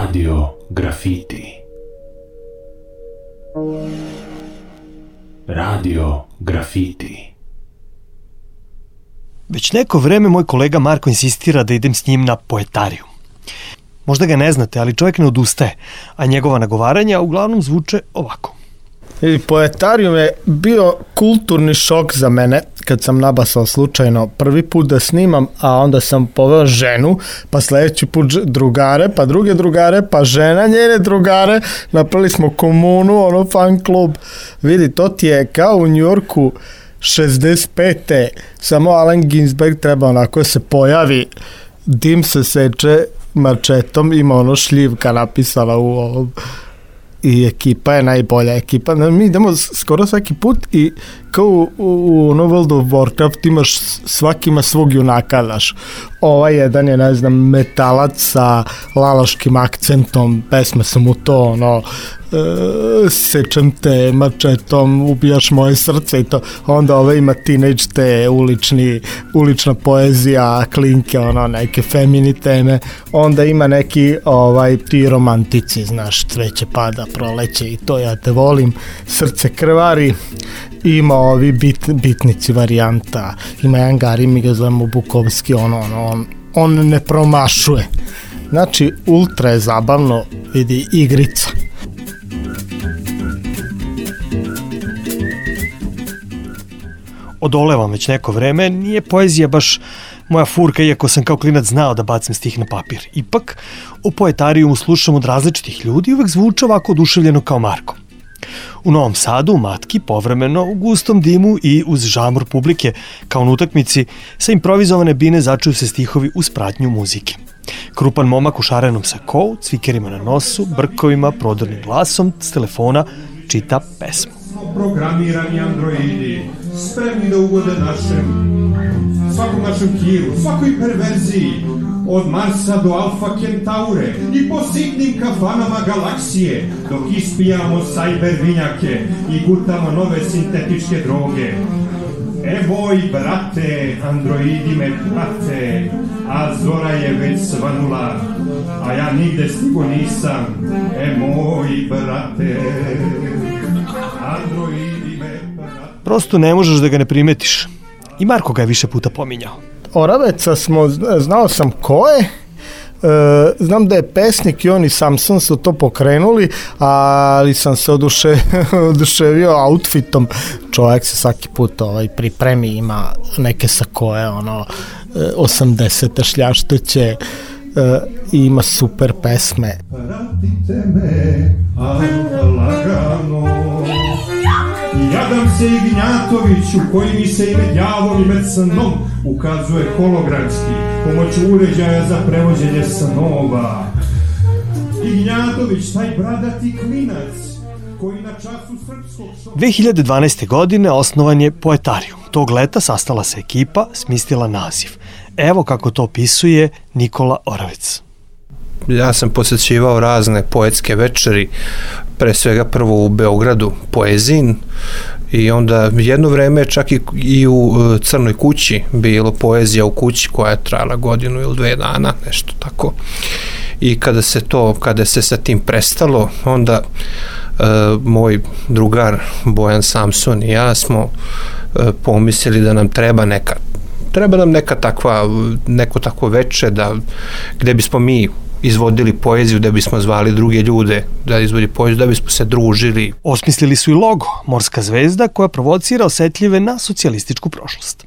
Radio Grafiti. Radio Grafiti. Već neko vreme moj kolega Marko insistira da idem s njim na poetariju. Možda ga ne znate, ali čovjek ne odustaje, a njegova nagovaranja uglavnom zvuče ovako. Poetarijum je bio kulturni šok za mene kad sam nabasao slučajno prvi put da snimam, a onda sam poveo ženu, pa sledeći put drugare, pa druge drugare, pa žena njene drugare, napravili smo komunu, fan klub. Vidi, to ti je kao u Njujorku 65. Samo Allen Ginsberg treba onako se pojavi, dim se seče mačetom, ima šljivka napisala u ovom i ekipa je najbolja ekipa. Mi idemo skoro svaki put i kao u World of Warcraft imaš, svaki ima svog junaka, znaš. Ovaj jedan je, ne znam, metalac sa lalaškim akcentom, pesme su mu to, sečem te mačetom, ubijaš moje srce i to. Onda ovaj ima teenage te ulična poezija, klinke, neke femini teme. Onda ima neki ti romantici, znaš, cveće pada, proleće i to, ja te volim, srce krvari. Ima ovi bitnici varijanta, ima jedan Gari, mi ga zovemo Bukovski, on ne promašuje. Znači, ultra je zabavno, vidi, igrica. Odolevam već neko vreme, nije poezija baš moja furka, iako sam kao klinac znao da bacim stih na papir. Ipak, o poetarijumu slušam od različitih ljudi i uvek zvuče ovako oduševljeno kao Marko. U Novom Sadu, u Matki, povremeno, u gustom dimu i uz žamor publike, kao na utakmici, sa improvizovane bine začuju se stihovi uz pratnju muzike. Krupan momak u šarenom sakou, cvikerima na nosu, brkovima, prodornim glasom, s telefona čita pesmu. Programirani androidi, spremni da ugode svakom našem kiru, svakoj perverziji, od Marsa do Alfa Kentaure i po sitnim kafanama galaksije, dok ispijamo sajber vinjake i gutamo nove sintetičke droge. Moj brate, androidi me prate, a zora je već svanula, a ja nigde stigo nisam. Moj brate, androidi me prate. Prosto ne možeš da ga ne primetiš. I Marko ga je više puta pominjao. Oraveca znao sam ko je, znam da je pesnik i oni Samson su to pokrenuli, ali sam se oduševio outfitom. Čovjek se svaki put pripremi, ima neke sakoje, 80. šljašteće, ima super pesme. Pratite me, lagano. Jadam se Ignjatoviću, koji mi se ime djavol i med snom ukazuje hologramski pomoću uređaja za prevođenje snova. Ignjatović, taj bradati klinac koji na času srpskog... 2012. godine osnovan je Poetarijum. Tog leta sastala se ekipa, smislila naziv. Evo kako to opisuje Nikola Oravec. Ja sam posjećivao razne poetske večeri, pre svega prvo u Beogradu, Poezin, i onda jedno vreme čak i u Crnoj kući bilo poezija u kući koja je trajala godinu ili 2 dana, nešto tako. I kada se sa tim prestalo, onda moj drugar Bojan Samson i ja smo pomislili da nam treba neko takvo veče gde bismo mi izvodili poeziju, da bismo zvali druge ljude da izvodi poeziju, da bismo se družili. Osmislili su i logo, morska zvezda koja provocira osetljive na socijalističku prošlost.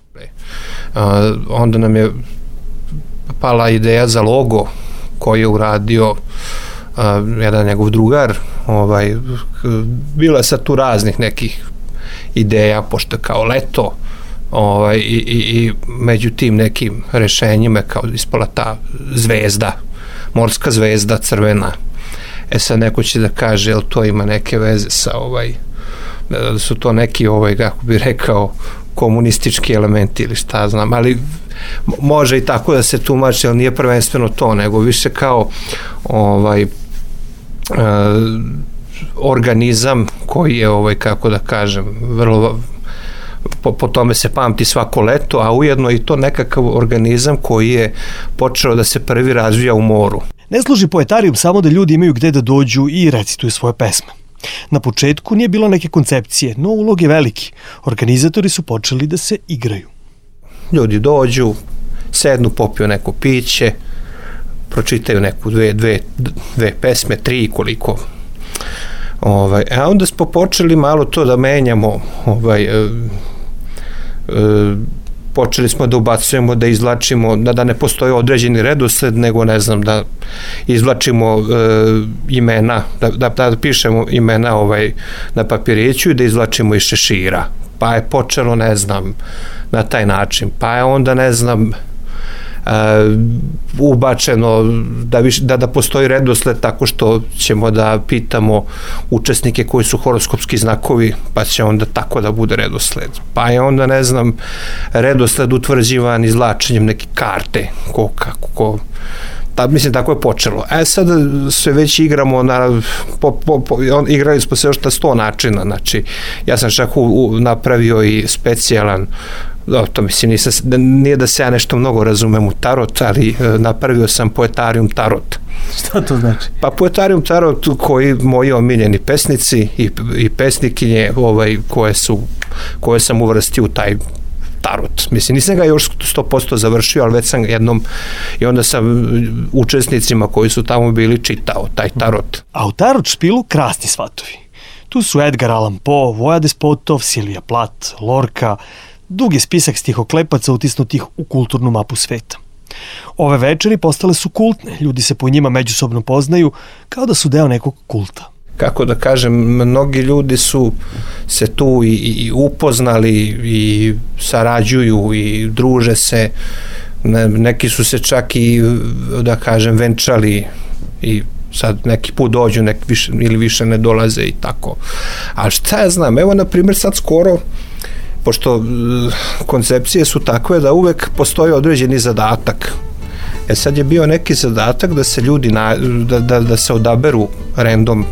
Onda nam je pala ideja za logo koji je uradio jedan njegov drugar. Bilo je sad tu raznih nekih ideja, pošto kao leto, i među tim nekim rešenjima kao ispala ta zvezda, morska zvezda crvena. Sad neko će da kaže, jel to ima neke veze sa da su to neki kako bi rekao, komunistički elementi ili šta znam, ali može i tako da se tumači, ali nije prvenstveno to, nego više kao organizam koji je, kako da kažem, vrlo po tome se pamti svako leto, a ujedno i to nekakav organizam koji je počeo da se prvi razvija u moru. Ne služi poetarijum samo da ljudi imaju gde da dođu i recituju svoje pesme. Na početku nije bilo neke koncepcije, no ulog je veliki. Organizatori su počeli da se igraju. Ljudi dođu, sednu, popiju neko piće, pročitaju neku dve pesme, 3 koliko. A onda smo počeli malo to da menjamo, počeli smo da ubacujemo, da izvlačimo, da ne postoji određeni redosled, nego ne znam, da izvlačimo imena, da pišemo imena na papiriću i da izvlačimo iz šešira. Pa je počelo, ne znam, na taj način. Pa je onda, ne znam, ubačeno da postoji redosled tako što ćemo da pitamo učesnike koji su horoskopski znakovi, pa će onda tako da bude redosled. Pa je onda, ne znam, redosled utvrđivan izvlačenjem neke karte, mislim, tako je počelo. Sad sve već igramo, igrali smo se još na 100 načina, znači, ja sam čak napravio i specijalan, to mislim, nije da se ja nešto mnogo razumem u tarot, ali napravio sam poetarijum tarot. Šta to znači? Pa poetarijum tarot koji moji omiljeni pesnici i pesnikinje koje sam uvrstio u taj tarot. Mislim, nisam ga još 100% završio, ali već sam jednom i onda sam učesnicima koji su tamo bili čitao taj tarot. A u tarot špilu krasni svatovi. Tu su Edgar Allan Poe, Voja Despotov, Silvija Plath, Lorca, dug je spisak stihoklepaca utisnutih u kulturnu mapu sveta. Ove večeri postale su kultne, ljudi se po njima međusobno poznaju kao da su deo nekog kulta. Kako da kažem, mnogi ljudi su se tu i upoznali i sarađuju i druže se, neki su se čak i, da kažem, venčali i sad neki put dođu, neki više ili više ne dolaze i tako. Ali šta ja znam, evo na primjer sad skoro, pošto koncepcije su takve da uvek postoji određeni zadatak. Sad je bio neki zadatak da se ljudi, da se odaberu random,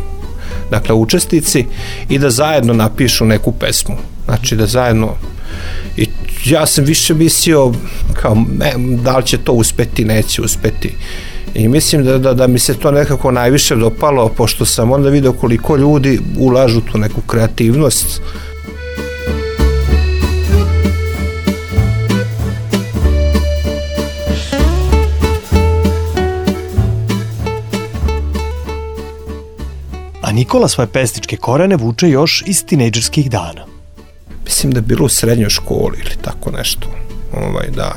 dakle učesnici, i da zajedno napišu neku pesmu. Znači da zajedno, i ja sam više mislio kao, da li će to uspeti, neće uspeti. I mislim da mi se to nekako najviše dopalo, pošto sam onda vidio koliko ljudi ulažu tu neku kreativnost. A Nikola svoje pesničke korene vuče još iz tinejdžerskih dana. Mislim da je bilo u srednjoj školi ili tako nešto. Da.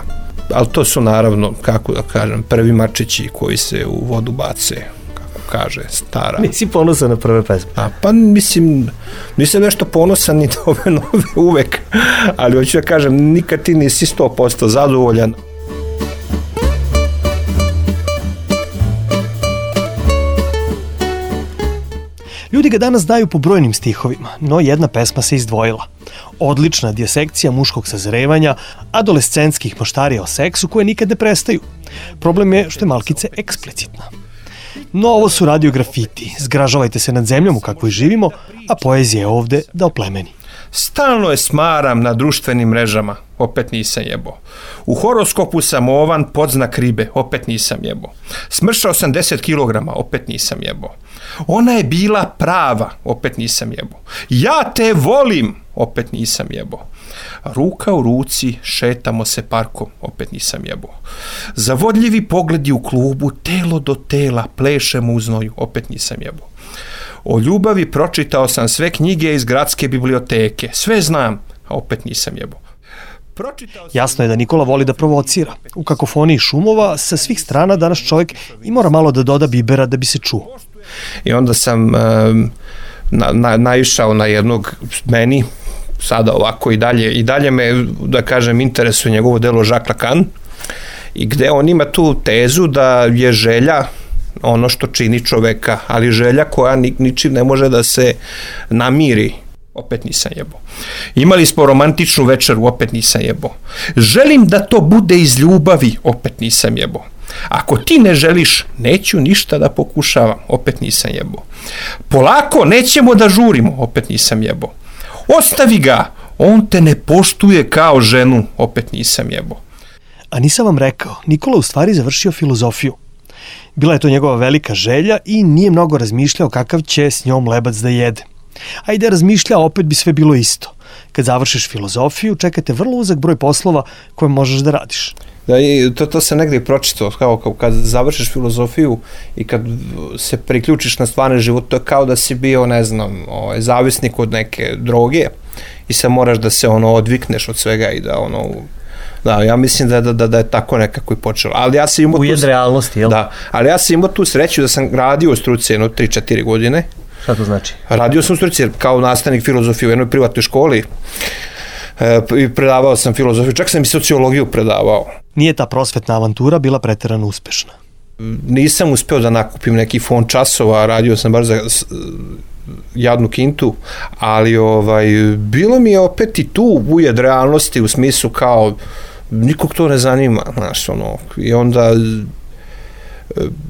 Ali to su naravno, kako da kažem, prvi mačići koji se u vodu bace, kako kaže stara. Nisi ponosan na prve pesme? Pa mislim, nisam nešto ponosan ni na ove nove uvek, ali hoću da kažem, nikad ti nisi 100% zadovoljan. Ljudi ga danas znaju po brojnim stihovima, no jedna pesma se izdvojila. Odlična dijasekcija muškog sazrevanja, adolescentskih maštarija o seksu koje nikad ne prestaju. Problem je što je malkice eksplicitna. No ovo su radio grafiti, zgražavajte se nad zemljom u kakvoj živimo, a poezija je ovde da oplemeni. Stalno je smaram na društvenim mrežama, opet nisam jebo. U horoskopu sam ovan podznak ribe, opet nisam jebo. Smršao sam 10 kilograma, opet nisam jebo. Ona je bila prava, opet nisam jebo. Ja te volim, opet nisam jebo. Ruka u ruci, šetamo se parkom, opet nisam jebo. Zavodljivi pogledi u klubu, telo do tela, plešemo u znoju, opet nisam jebo. O ljubavi pročitao sam sve knjige iz gradske biblioteke. Sve znam, a opet nisam jebo. Jasno je da Nikola voli da provocira. U kakofoniji šumova sa svih strana danas čovjek i mora malo da doda bibera da bi se čuo. I onda sam naišao na jednog meni, sada ovako i dalje me, da kažem, interesuje njegovo delo Jacques Lacan, i gde on ima tu tezu da je želja ono što čini čoveka, ali želja koja ničim ne može da se namiri, opet nisam jebo. Imali smo romantičnu večeru, opet nisam jebo. Želim da to bude iz ljubavi, opet nisam jebo. Ako ti ne želiš, neću ništa da pokušavam, opet nisam jebo. Polako, nećemo da žurimo, opet nisam jebo. Ostavi ga, on te ne poštuje kao ženu, opet nisam jebo. A nisam vam rekao, Nikola u stvari završio filozofiju. Bila je to njegova velika želja i nije mnogo razmišljao kakav će s njom lebac da jede. A i da razmišlja, opet bi sve bilo isto. Kad završiš filozofiju, čekate vrlo uzak broj poslova koje možeš da radiš. Da, i to sam negdje pročitao, kao kad završiš filozofiju i kad se priključiš na stvarni život, to je kao da si bio, ne znam, zavisnik od neke droge i sad moraš da se odvikneš od svega i da ja mislim da je tako nekako i počelo. Ali ja sam imao ujed realnosti, jel? Da, ali ja sam imao tu sreću da sam radio u struci 3-4 godine. Šta to znači? Radio sam u struci kao nastavnik filozofije u jednoj privatnoj školi i predavao sam filozofiju, čak sam i sociologiju predavao. Nije ta prosvetna avantura bila preterano uspešna. Nisam uspeo da nakupim neki fond časova, radio sam baš za jadnu kintu, ali bilo mi je opet i tu ujed realnosti u smislu kao nikog to ne zanima, znaš, i onda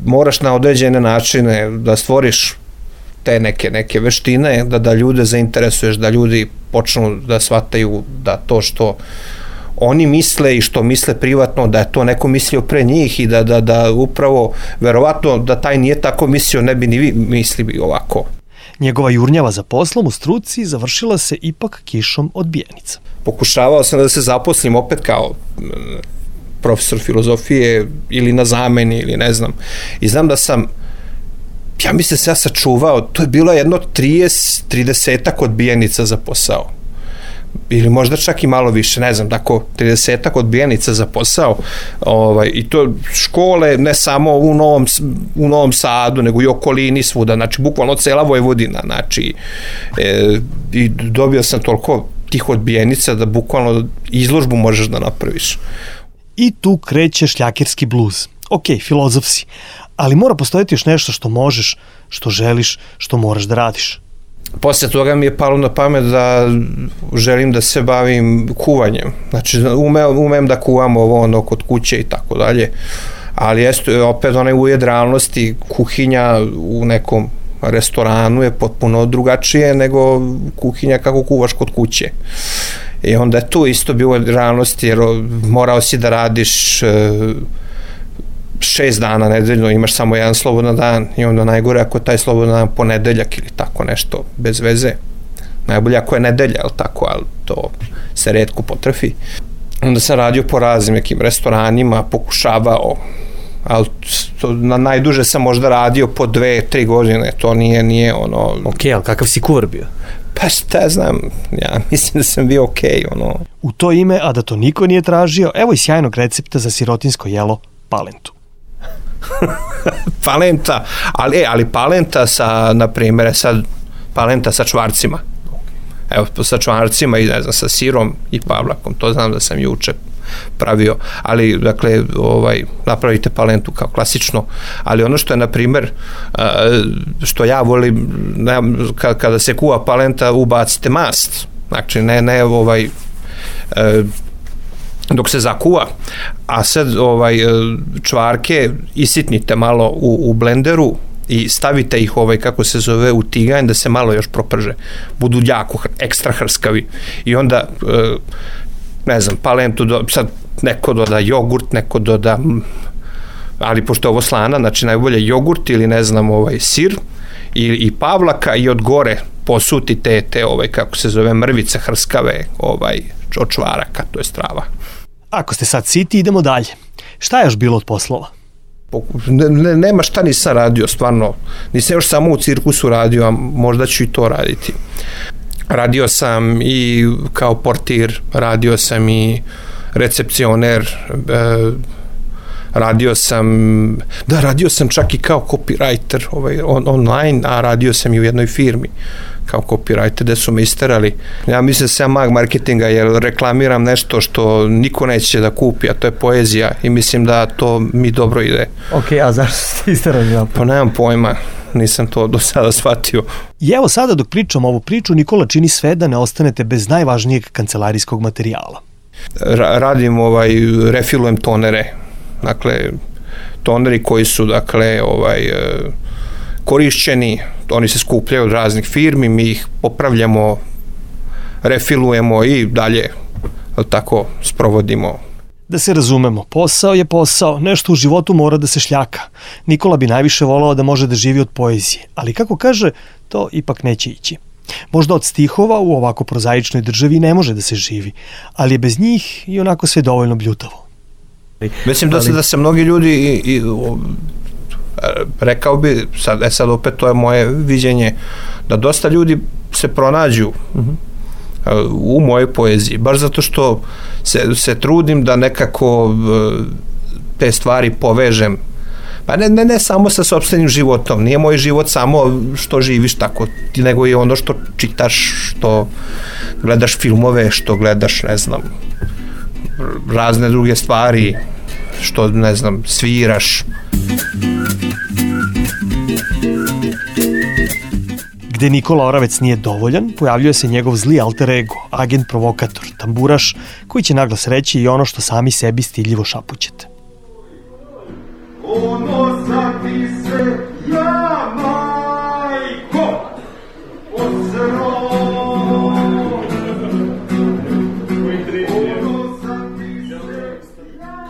moraš na određene načine da stvoriš te neke veštine, da ljude zainteresuješ, da ljudi počnu da shvataju da to što oni misle i što misle privatno, da je to neko mislio pre njih i da upravo, verovatno, da taj nije tako mislio, ne bi ni vi mislili ovako. Njegova jurnjava za poslom u struci završila se ipak kišom odbijenica. Pokušavao sam da se zaposlim opet kao profesor filozofije ili na zameni ili ne znam. I znam da sam, ja mislim se ja sačuvao, to je bilo jedno 30-ak odbijenica za posao. Ili možda čak i malo više, ne znam, tako 30-ak odbijenica za posao i to škole ne samo u Novom Sadu, nego i okolini svuda, znači bukvalno cela Vojvodina, znači i dobio sam toliko tih odbijenica da bukvalno izložbu možeš da napraviš. I tu kreće šljakerski bluz. Ok, filozof si, ali mora postojati još nešto što možeš, što želiš, što moraš da radiš. Posle toga mi je palo na pamet da želim da se bavim kuvanjem. Znači, umem da kuvam kod kuće i tako dalje, ali opet onaj ujed realnosti, kuhinja u nekom restoranu je potpuno drugačije nego kuhinja kako kuvaš kod kuće. I onda je tu isto bilo realnosti, jer morao si da radiš 6 dana nedeljno, imaš samo jedan slobodan dan i onda najgore ako je taj slobodan dan ponedeljak ili tako nešto, bez veze. Najbolje ako je nedelja, ali tako, ali to se retko potrefi. Onda sam radio po raznim nekim restoranima, pokušavao, ali najduže sam možda radio po 2-3 godine, to nije Ok, ali kakav si kuvar bio? Pa šta znam, ja mislim da sam bio ok, U to ime, a da to niko nije tražio, evo i sjajnog recepta za sirotinsko jelo palentu. Palenta, ali palenta sa, na primjer, sad palenta sa čvarcima. Evo, sa čvarcima i ne znam, sa sirom i pavlakom, to znam da sam juče pravio, ali dakle, napravite palentu kao klasično, ali ono što je, na primjer, što ja volim, kada se kuva palenta, ubacite mast, znači ne dok se zakuva, a sad čvarke isitnite malo u blenderu i stavite ih kako se zove u tiganj da se malo još proprže, budu jako ekstra hrskavi i onda ne znam, palentu sad neko doda jogurt, neko doda, ali pošto je ovo slana, znači najbolje jogurt ili ne znam sir i pavlaka i od gore posutite te kako se zove mrvice hrskave od čvaraka, to je strava. Ako ste sad siti, idemo dalje. Šta je još bilo od poslova? Nema šta nisam radio, stvarno. Nisam još samo u cirkusu radio, a možda ću i to raditi. Radio sam i kao portir, radio sam i recepcioner, radio sam čak i kao copywriter online, a radio sam i u jednoj firmi kao copywriter gde su me isterali. Ja mislim da sam mag marketinga jer reklamiram nešto što niko neće da kupi, a to je poezija i mislim da to mi dobro ide. Ok, a zašto ste isterali? Pa nemam pojma, nisam to do sada shvatio. I evo sada dok pričam ovu priču, Nikola čini sve da ne ostanete bez najvažnijeg kancelarijskog materijala. Radim, refilujem tonere, dakle, toneri koji su, dakle, korišćeni, oni se skupljaju od raznih firmi, mi ih popravljamo, refilujemo i dalje tako sprovodimo. Da se razumemo, posao je posao, nešto u životu mora da se šljaka. Nikola bi najviše volao da može da živi od poezije, ali kako kaže, to ipak neće ići. Možda od stihova u ovako prozaičnoj državi ne može da se živi, ali je bez njih i onako sve dovoljno bljutavo. Mislim da se mnogi ljudi rekao bi, sad opet to je moje viđenje, da dosta ljudi se pronađu u mojoj poeziji, baš zato što se trudim da nekako te stvari povežem, pa ne samo sa sopstvenim životom, nije moj život samo što živiš tako, nego i ono što čitaš, što gledaš filmove, što gledaš, ne znam, razne druge stvari, što, ne znam, sviraš. Gde Nikola Oravec nije dovoljan, pojavljuje se njegov zli alter ego, agent provokator, tamburaš, koji će naglas reći i ono što sami sebi stiljivo šapućete. Ponosati se ja, majko,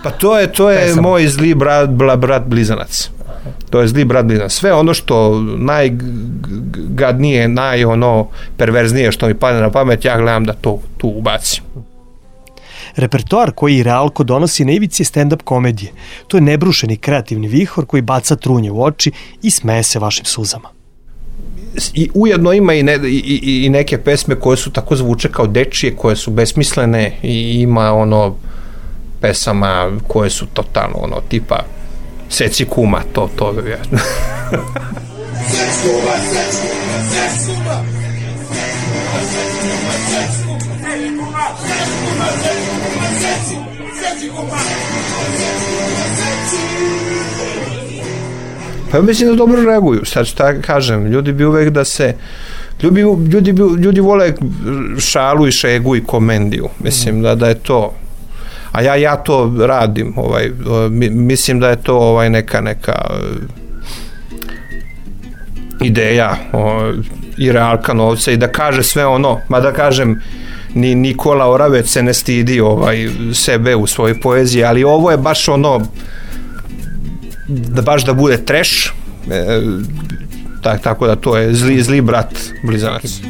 Pa to je moj zli brat blizanac. To je zli brat blizanac. Sve ono što najgadnije, perverznije što mi padne na pamet, ja gledam da to tu ubacim. Repertoar koji Realko donosi na ivici je stand-up komedije. To je nebrušeni kreativni vihor koji baca trunje u oči i smeje se vašim suzama. I ujedno ima i neke pesme koje su tako zvuče kao dečije, koje su besmislene, i ima pesama koje su totalno tipa seci kuma, to je. Pa mislim da dobro reaguju, sad šta kažem, ljudi bi uvek da se ljudi vole šalu i šegu i komediju, mislim da je to, a ja to radim, mislim da je to neka ideja i Realka Novca, i da kaže sve ono, mada kažem, ni Nikola Oravec se ne stidi sebe u svojoj poeziji, ali ovo je baš da bude trash, tako da to je zli brat blizanac.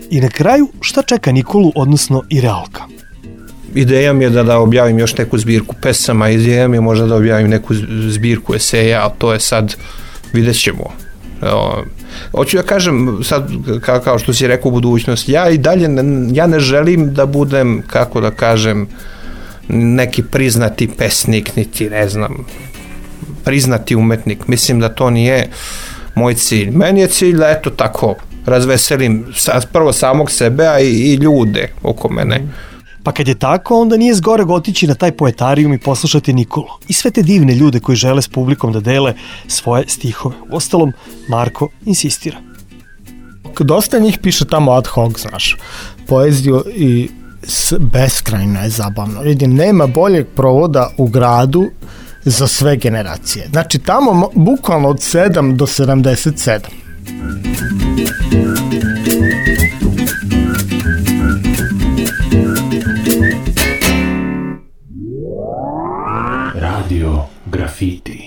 I na kraju, šta čeka Nikolu, odnosno i Realka? Ideja mi je da objavim još neku zbirku pesama, ideja mi je možda da objavim neku zbirku eseja, ali to je sad, vidjet ćemo. Hoću da kažem, sad, kao što si rekao, u budućnosti, ja i dalje, ja ne želim da budem, kako da kažem, neki priznati pesnik, niti, ne znam, priznati umetnik. Mislim da to nije moj cilj. Meni je cilj da, eto, tako, razveselim prvo samog sebe, a i ljude oko mene. Pa kad je tako, onda nije zgoreg otići na taj poetarijum i poslušati Nikolu i sve te divne ljude koji žele s publikom da dele svoje stihove. Uostalom, Marko insistira. Dosta njih piše tamo ad hoc, znaš, poeziju, i beskrajno je zabavno. Vidim, nema boljeg provoda u gradu za sve generacije. Znači, tamo bukvalno od 7 do 77. Radio Graffiti.